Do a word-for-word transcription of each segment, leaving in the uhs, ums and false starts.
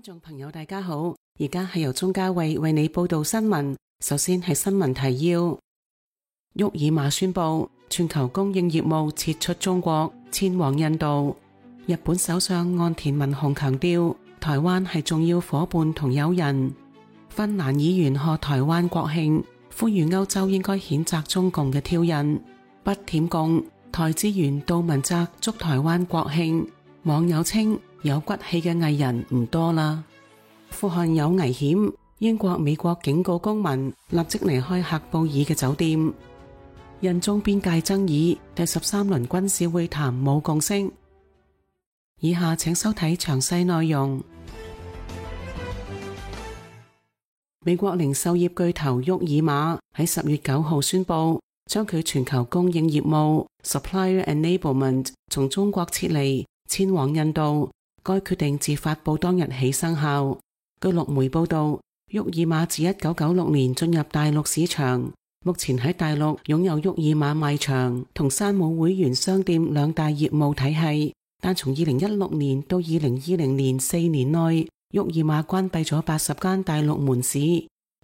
眾朋友大家好，而家係由鍾嘉慧為你報道新聞。首先係新聞提要：沃爾瑪宣布全球供應業務撤出中國，遷往印度。日本首相岸田文雄強調，台灣係重要夥伴同友人。芬蘭議員賀台灣國慶，呼籲歐洲應該譴責中共嘅挑釁。不舔共，台資源杜汶澤祝台灣國慶。網友稱有骨氣嘅藝人唔多啦。富汗有危險，英國、美國警告公民立即離開喀布爾嘅酒店。印中邊界爭議，第十三輪軍事會談冇共識。以下請收睇詳細內容。美國零售業巨頭沃爾瑪喺十月九號宣布，將佢全球供應業務 Supplier Enablement 從中國撤離，遷往印度。該決定自發佈當日起生效。據陸媒報道，沃爾瑪自一九九六年進入大陸市場，目前喺大陸擁有沃爾瑪賣場同山姆會員商店兩大業務體系。但從二零一六年到二零二零年四年內，沃爾瑪關閉咗八十間大陸門市。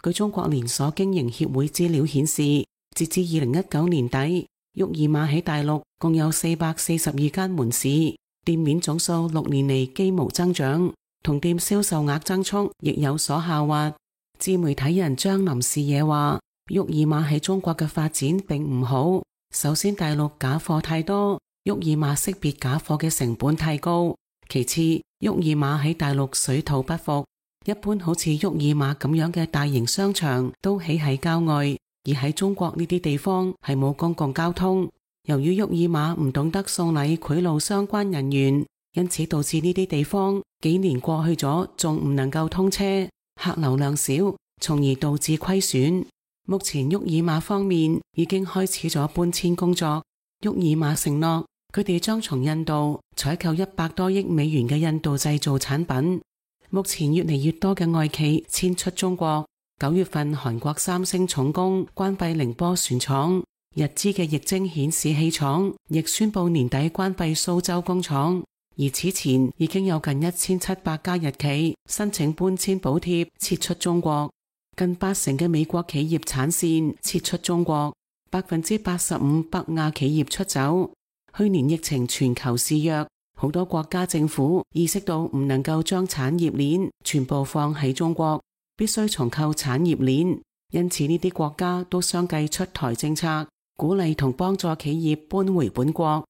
據中國連鎖經營協會資料顯示，截至二零一九年底，沃爾瑪喺大陸共有四百四十二間門市。店面總數六年嚟幾無增長，同店銷售額增速亦有所下滑。自媒體人張林視野話，沃爾瑪喺中國嘅發展並唔好。首先，大陸假貨太多，沃爾瑪識別假貨嘅成本太高。其次，沃爾瑪喺大陸水土不服，一般好似沃爾瑪咁樣嘅大型商場都起喺郊外，而喺中國呢啲地方係冇公共交通。由於沃爾瑪唔懂得送禮賄賂相關人員，因此導致呢啲地方幾年過去咗仲唔能夠通車，客流量少，從而導致虧損。目前沃爾瑪方面已經開始咗搬遷工作。沃爾瑪承諾佢哋將從印度採購一百多億美元嘅印度製造產品。目前越嚟越多嘅外企遷出中國。九月份韓國三星重工關閉寧波船廠。日資嘅液晶顯示器廠亦宣布年底關閉蘇州工廠，而此前已經有近一千七百家日企申請搬遷補貼撤出中國，近八成嘅美國企業產線撤出中國，百分之八十五北亞企業出走。去年疫情全球肆虐，好多國家政府意識到唔能夠將產業鏈全部放喺中國，必須重構產業鏈，因此呢啲國家都相繼出台政策，鼓勵同幫助企業搬回本國。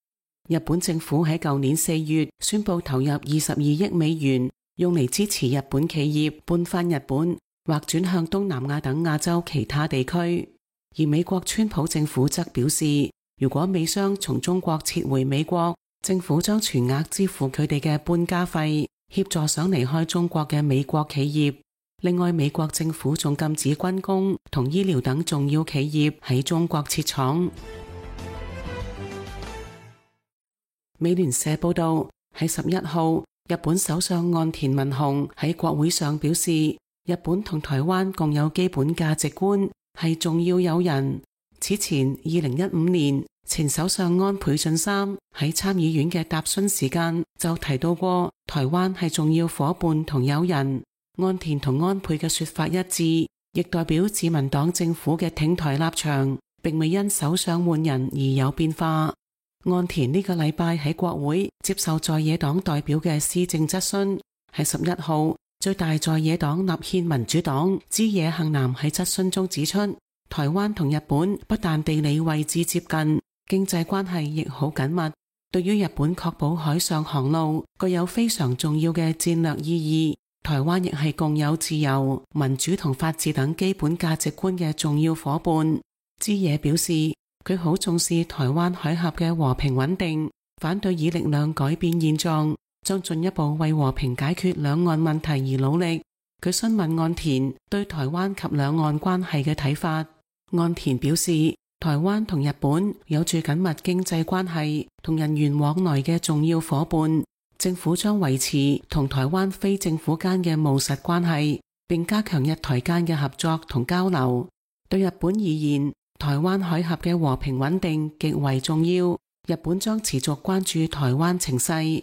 日本政府喺舊年四月宣布投入二十二億美元，用嚟支持日本企業搬返日本或轉向東南亞等亞洲其他地區。而美國川普政府則表示，如果美商從中國撤回美國，政府將全額支付佢哋嘅搬家費，協助想離開中國嘅美國企業。另外，美國政府仲禁止軍工同醫療等重要企業喺中國設廠。美聯社報道，喺十一號，日本首相岸田文雄喺國會上表示，日本同台灣共有基本價值觀，係重要友人。此前，二零一五年，前首相安倍晉三喺參議院嘅答詢時間就提到過，台灣係重要夥伴同友人。岸田同安倍嘅說法一致，亦代表自民黨政府嘅挺台立場並未因首相換人而有變化。岸田呢個禮拜喺國會接受在野黨代表嘅施政質詢，喺十一號，最大在野黨立憲民主黨枝野幸男喺質詢中指出，台灣同日本不但地理位置接近，經濟關係亦好緊密，對於日本確保海上航路具有非常重要嘅戰略意義。台灣亦係共有自由、民主同法治等基本價值觀嘅重要夥伴。枝野表示，佢好重視台灣海峽嘅和平穩定，反對以力量改變現狀，將進一步為和平解決兩岸問題而努力。佢詢問岸田對台灣及兩岸關係嘅睇法。岸田表示，台灣同日本有住緊密經濟關係同人員往來嘅重要夥伴。政府將維持同台灣非政府間嘅務實關係，並加強日台間嘅合作同交流。對日本而言，台灣海峽嘅和平穩定極為重要，日本將持續關注台灣情勢。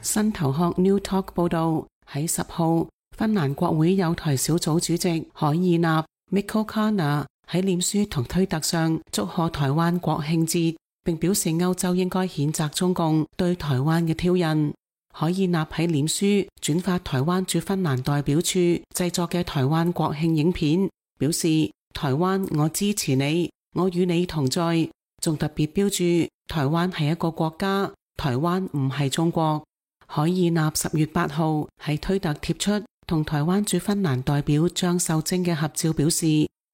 新頭殼 New Talk 報道，喺十號，芬蘭國會有台小組主席海爾納 Mikko Kana 喺臉書同推特上祝賀台灣國慶節，並表示歐洲應該譴責中共對台灣嘅挑釁。海爾納喺臉書轉發台灣駐芬蘭代表處製作嘅台灣國慶影片，表示台灣我支持你，我與你同在，仲特別標注台灣係一個國家，台灣唔係中國。海爾納十月八號喺推特貼出同台灣駐芬蘭代表張秀晶嘅合照，表示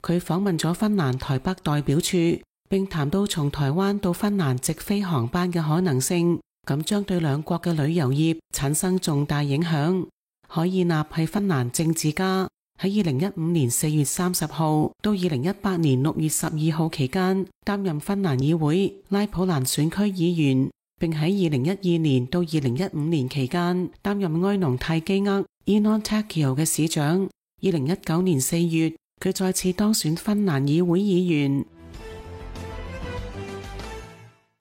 佢訪問咗芬蘭台北代表處，並談到從台灣到芬蘭直飛航班嘅可能性，咁將對兩國嘅旅遊業產生重大影響。海爾納係芬蘭政治家，喺二零一五年四月三十號到二零一八年六月十二號期間擔任芬蘭議會拉普蘭選區議員，並喺二零一二年到二零一五年期間擔任埃農泰基厄 Enontekiö 嘅市長。二零一九年四月，佢再次當選芬蘭議會議員。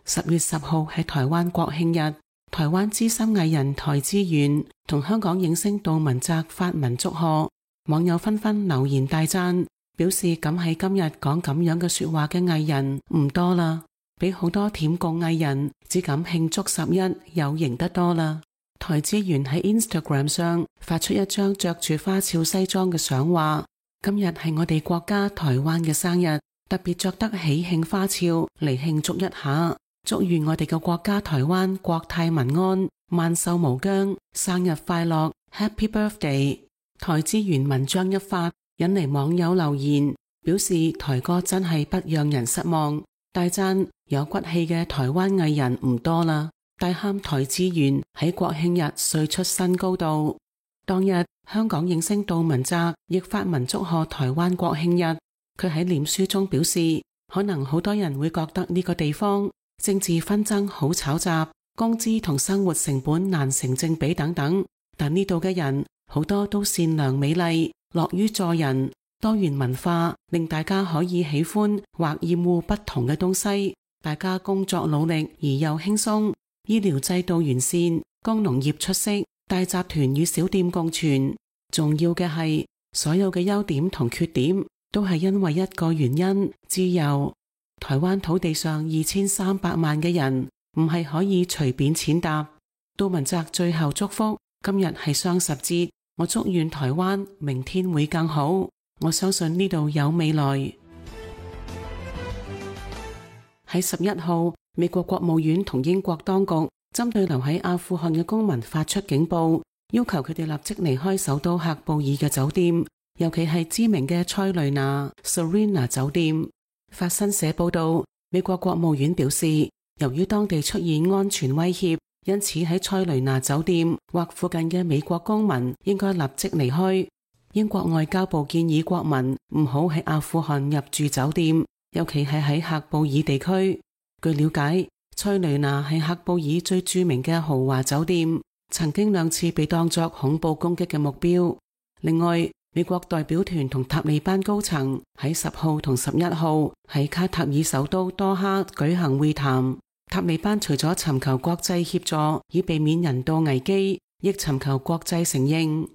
十月十號係台灣國慶日，台灣資深藝人台資源同香港影星杜汶澤發文祝賀，網友紛紛留言大讚，表示敢喺今日講咁樣嘅說話嘅藝人唔多啦，比好多舔共藝人只敢慶祝十一有型得多啦。台資源喺 Instagram 上發出一張着住花俏西裝嘅相，話今日係我哋國家台灣嘅生日，特別着得喜慶花俏嚟慶祝一下。祝願我哋嘅國家台灣國泰民安，萬壽無疆，生日快樂 Happy Birthday。 台資源文章一發，引嚟網友留言，表示台哥真係不讓人失望，大讚有骨氣嘅台灣藝人唔多啦，大喊台資源喺國慶日帥出新高度。當日香港影星杜汶澤亦發文祝賀台灣國慶日，佢喺臉書中表示，可能好多人會覺得呢個地方政治紛爭好吵雜，工資同生活成本難成正比等等，但呢度嘅人好多都善良美麗，樂於助人，多元文化令大家可以喜歡或厭惡不同嘅東西，大家工作努力而又輕鬆，醫療制度完善，工農業出色，大集團與小店共存。重要嘅係所有嘅優點同缺點都係因為一個原因，自由。台灣土地上二千三百萬嘅人唔係可以隨便踐踏。杜汶澤最後祝福，今日係雙十節，我祝願台灣明天會更好，我相信呢度有未來。喺十一號，美國國務院同英國當局針對留喺阿富汗嘅公民發出警報，要求佢哋立即離開首都喀布爾嘅酒店，尤其係知名嘅塞雷納 Serena 酒店。法新社報道，美國國務院表示，由於當地出現安全威脅，因此喺塞雷納酒店或附近嘅美國公民應該立即離開。英國外交部建議國民唔好喺阿富汗入住酒店，尤其係喺喀布爾地區。據了解，塞雷納係喀布爾最著名嘅豪華酒店，曾經兩次被當作恐怖攻擊嘅目標。另外，美國代表團同塔利班高層喺十號同十一號喺卡塔爾首都多哈舉行會談。塔利班除咗尋求國際協助以避免人道危機，亦尋求國際承認。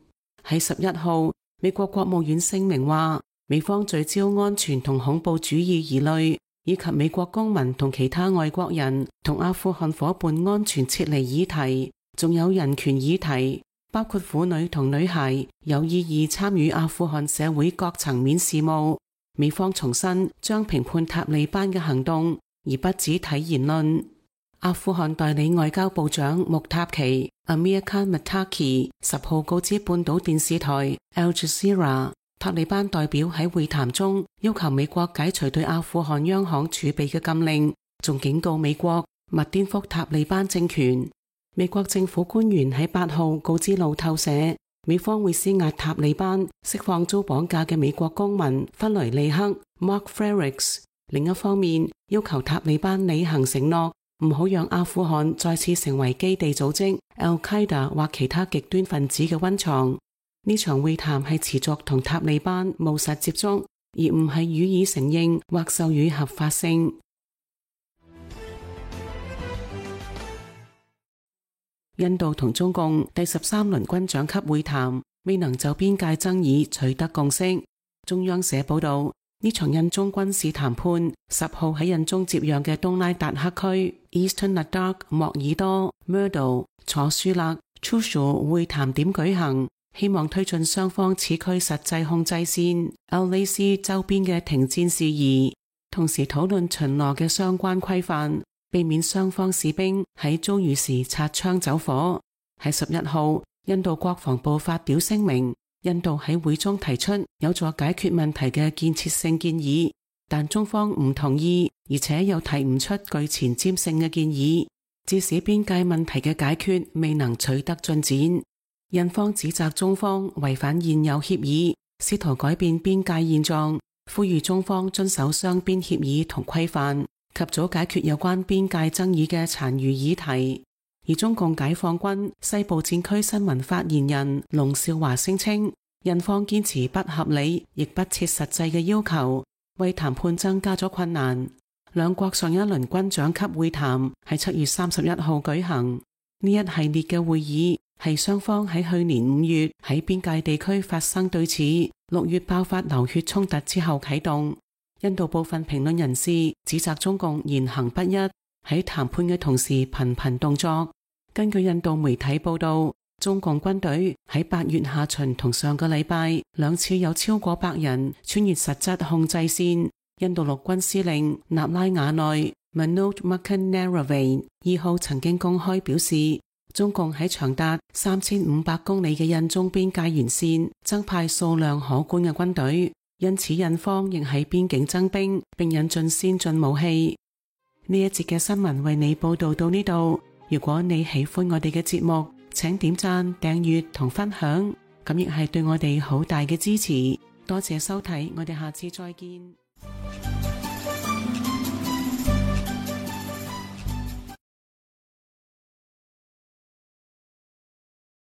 喺十一號，美國國務院聲明話，美方聚焦安全同恐怖主義疑慮，以及美國公民同其他外國人同阿富汗伙伴安全撤離議題，仲有人權議題，包括婦女同女孩有意義參與阿富汗社會各層面事務。美方重申將評判塔利班嘅行動，而不只睇言論。阿富汗代理外交部長穆塔奇 Amir Khan Muttaqi 十號告知半島電視台 Al Jazeera， 塔利班代表喺會談中要求美國解除對阿富汗央行儲備嘅禁令，仲警告美國勿顛覆塔利班政權。美國政府官員喺八號告知路透社，美方會施壓塔利班釋放遭綁架嘅美國公民弗雷利克 Mark Frerichs。另一方面，要求塔利班履行承諾，唔好讓阿富汗再次成為基地組織 Al-Qaeda 或其他極端分子嘅溫床。呢場會談係持續同塔利班務實接觸，而唔係予以承認或授予合法性。印度同中共第十三輪軍長級會談未能就邊界爭議取得共識。中央社報道，呢場印中軍事談判十號喺印中接壤嘅東拉達克區 Eastern Ladakh 莫爾多 Murdo 楚舒勒 Chushu 會談點舉行，希望推進雙方此區實際控制線 L A C 周邊嘅停戰事宜，同時討論巡邏嘅相關規範，避免雙方士兵喺遭遇時擦槍走火。喺十一號，印度國防部發表聲明，印度喺會中提出有助解決問題嘅建設性建議，但中方唔同意，而且又提唔出具前瞻性嘅建議，致使邊界問題嘅解決未能取得進展。印方指責中方違反現有協議，試圖改變邊界現狀，呼籲中方遵守雙邊協議同規範，及早解決有關邊界爭議嘅殘餘議題。而中共解放軍西部戰區新聞發言人龍少華聲稱，印方堅持不合理亦不切實際嘅要求，為談判增加咗困難。兩國上一輪軍長級會談喺七月三十一號舉行，呢一系列嘅會議係雙方喺去年五月喺邊界地區發生對峙，六月爆發流血衝突之後啟動。印度部分評論人士指責中共言行不一，喺談判嘅同時頻頻動作。根據印度媒體報道，中共軍隊喺八月下旬同上個禮拜兩次有超過百人穿越實質控制線。印度陸軍司令納拉瓦內 Manoj Mukunde Narayan 二號曾經公開表示，中共喺長達三千五百公里嘅印中邊界沿線增派數量可觀嘅軍隊，因此印方亦喺邊境增兵並引進先進武器。呢一節嘅新聞為你報道到呢度。如果你喜歡我哋嘅節目，請點讚、訂閱同分享，咁亦係對我哋好大嘅支持。多謝收睇，我哋下次再見。